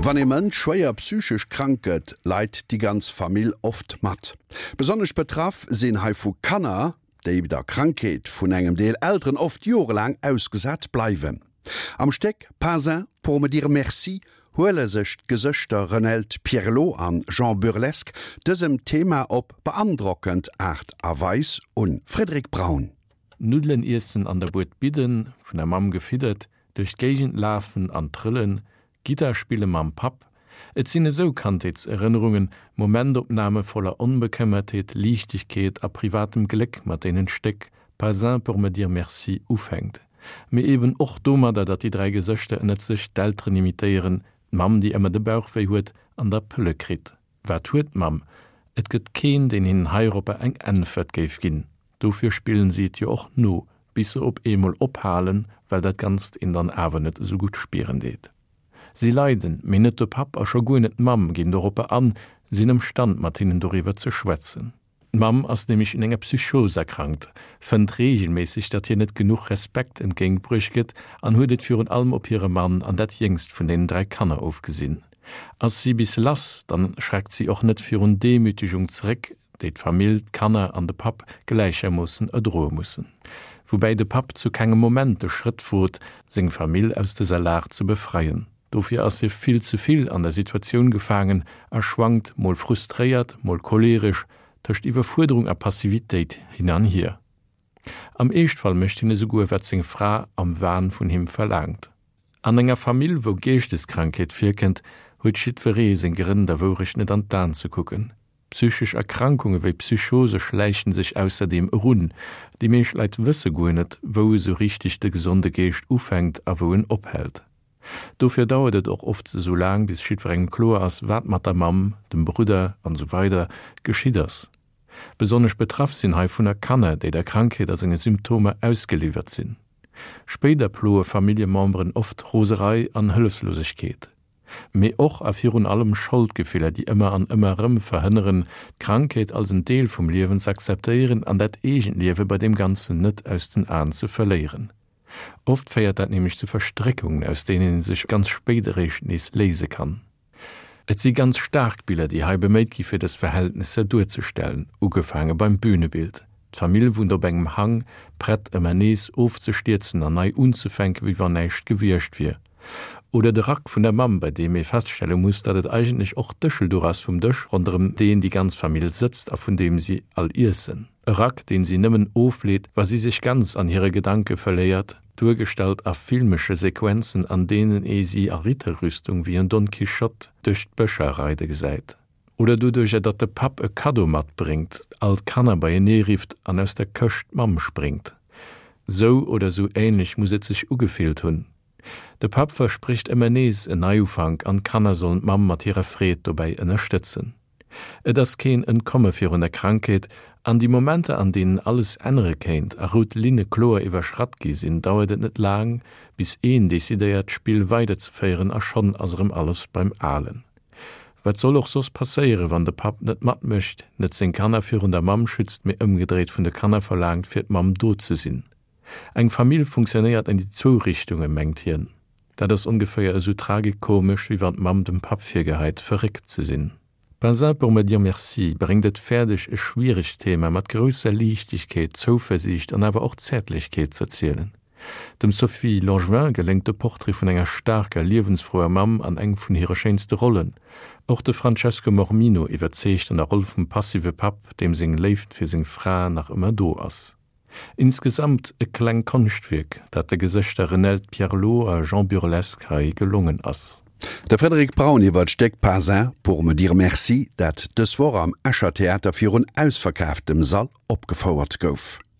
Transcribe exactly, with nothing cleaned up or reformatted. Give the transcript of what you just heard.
Wann ee Mënsch schwéier psychesch krank gëtt, leit déi ganz Famill oft mat. Besonnesch betraff sinn heivu Kanner, déi der Krankheet vun engem Deel Elteren oft jorelaang ausgesat bleiwen. Am Stéck Pas un pour me dire merci huele sech d'Gesëschter Renelde Pierlot an Jean Burlesque dësem Thema op beandrockend Aart a Weis un. Frédéric Braun. Nuddelen iessen an der Bued bidden, vun der Mamm gefiddert, duerch d'Géigend lafen an trëllen, Gittar spille mam Papp. Et sinn esou Kandheetserënnerungen, Momentopname voller Onbekëmmertheet, Liichtegkeet a privatem Gléck, mat deenen d'Stéck Pas un pour me dire merci ufänkt. Mee eben och domadder, datt déi dräi Gesëschter ënnert sech d'Elteren imitéieren, d'Mamm, déi ëmmer de Bauch wéi huet an da Pëlle kritt. Wat huet d'Mamm? Et gëtt keen, deen hinnen heiropper eng Äntwert géif ginn. Dofir spillen si et jo och no, bis se op eemol ophalen, well dat Ganzt een dann awer net esou gutt spieren deet. Si leiden, mee net de Papp a scho guer net d'Mamm ginn doropper an, sinn ëmstand mat hinnen doriwwer ze schwätzen. D'Mamm ass nämlech un enger Psychos erkrankt, fënnt reegelméisseg, datt hir net genuch Respekt entgéintbruecht gëtt an huet et virun allem op hire Mann an dat jéngst vun deenen dräi Kanner ofgesinn. Ass si bis lass, dann schreckt si och net virun Demütegung zeréck, déi d'Famill, d'Kanner an de Papp gläichermoossen erdroe mussen. Woubäi de Papp zu kengem Moment de Schrëtt wot, seng Famill aus dëser Lag ze befreien. Dofir ass hie vill ze vill an der Situatioun gefaangen a schwankt mol frustréiert, mol choleeresch tëscht Iwwerfuerderung a Passivitéit hin an hier. Am Eeschtfall mécht hien esouguer, wat seng Fra am Wahn vun him verlaangt. An enger Famill, wou Geeschteskrankheet virkënnt, huet jiddweree seng Grënn, der Wourecht net an d'Aen ze kucken. Psychesch Erkrankunge wéi Psychose schläichen sech ausserdeem erun. Déi meescht Leit wësse guer net, wou esou richteg de gesonde Geescht ufänkt a wou en ophält. Dofir dauert et och oft esou laang, bis jiddwerengem kloer ass, wat mat der Mamm, dem Brudder an esou weider geschitt ass. Besonnesch betraff sinn heivunner Kanner, déi der Krankheet a senge Symptomer ausgeliwwert sinn. Spéider ploe Familljememberen oft Roserei an Hëllefslosegkeet. Mee och a virun allem Scholdgefiller, déi ëmmer an ëmmer erëm verhënneren, d'Krankheet als en Deel vum Liewen z'akzeptéieren an dat eegent Liewe bei deem Ganzen net aus den Aen ze verléieren. Oft féiert dat nämlech zu Verstréckungen, aus deenen ee sech ganz spéit eréischt nees léise kann. Et si ganz staark Biller, déi hei beméit gi fir dës Verhältnesser duerzestellen, ugefaange beim Bünebild. D'Famill wunnt op engem Hang, prett ëmmer nees ofzestierzen an nei unzefänken, wéi wann näischt gewiescht wier. Oder de Rack vun der Mamm, bei deem ee feststelle muss, datt et eigentlech och d'Dëschelduch ass vum Dësch, ronderëm deen déi ganz Famill sëtzt a vun deem si all iessen. E Rack, deen si nëmmen ofleet, wa si sech ganz an hire Gedanke verléiert, duergestallt a filmesche Sequenzen, an deenen ee si a Ritterrüstung wéi en Don Quichotte duerch d'Bëscher reide gesäit. Oder doduercher, datt de Papp e Kaddo matbréngt, all d'Kanner beienee rifft an aus der Këscht d'Mamm spréngt. Sou oder sou ähnlech muss et sech ugefillt hunn. De Papp versprécht ëmmer nees en Neiufank an d'Kanner sollen d'Mamm mat hirer Freed dobäi ënnerstëtzen. Et ass keen Entkomme virun der Krankheet, an déi Momenter an deenen alles ännere kéint a rout Linne kloer iwwerschratt gi sinn, dauert et net laang, bis een decidéiert d'Spill weiderzeféieren a schonn ass erëm alles beim Alen. Wat soll och soss passéieren, wann de Papp net matmécht, net seng Kanner virun der Mamm schützt, mee ëmgedréit vun de Kanner verlaangt fir d'Mamm do ze sinn? Eng Famill funktionéiert an déi zwou Richtunge, mengt hien. Dat ass ongeféier esou tragikomesch, wéi wann d'Mamm dem Papp virgeheit, verréckt ze sinn. Pas un pour me dire merci bréngt et fäerdeg, e schwieregt Thema mat grousser Liichtegkeet, Zouversiicht an awer och Zäertlechkeet z'erzielen. Dem Sophie Langevin geléngt de Portrait vun enger staarker, liewensfrouer Mamm an eng vun hire schéinste Rollen. Och de Francesco Mormino iwwerzeegt an der Roll vum passive Papp, deem seng Léift fir seng Fra nach ëmmer do ass. Insgesamt e kleng Konschtwierk, dat de Gesëschter Renelde Pierlot a Jean Burlesque hei gelongen ass. De Frédéric Braun iwwer d'Stéck Pas un pour me dire merci, dat dës Woch am Escher Theater virun ausverkaaftem Sall opgefouert gouf.